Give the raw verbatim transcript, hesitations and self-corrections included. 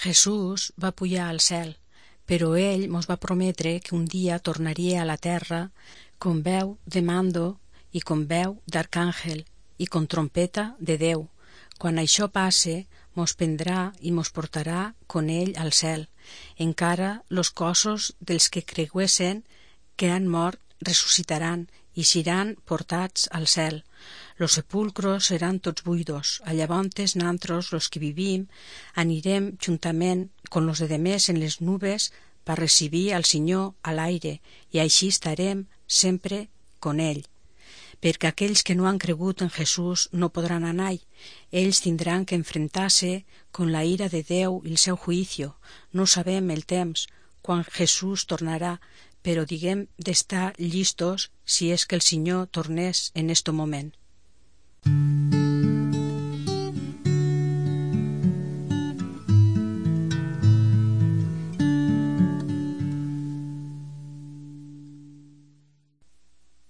Jesús va pujar al cel, però ell mos va prometre que un dia tornaria a la terra con veu de mando i con veu d'arcàngel i con trompeta de Déu. Quan això passe, mos prendrà i mos portarà con ell al cel. Encara los cossos dels que creguessen que han mort ressuscitaran i seran portats al cel. Los sepulcros seran tots buidos. A llavors nantros, los que vivim, anirem juntament con los de demés en les nubes per recibir al Senyor a l'aire, i així estarem sempre con ell. Perquè aquells que no han cregut en Jesús no podran anar. Ells tindran que enfrentar-se con la ira de Déu i el seu juicio. No sabem el temps quan Jesús tornarà, però diguem d'estar llistos si és que el Senyor tornés en este moment.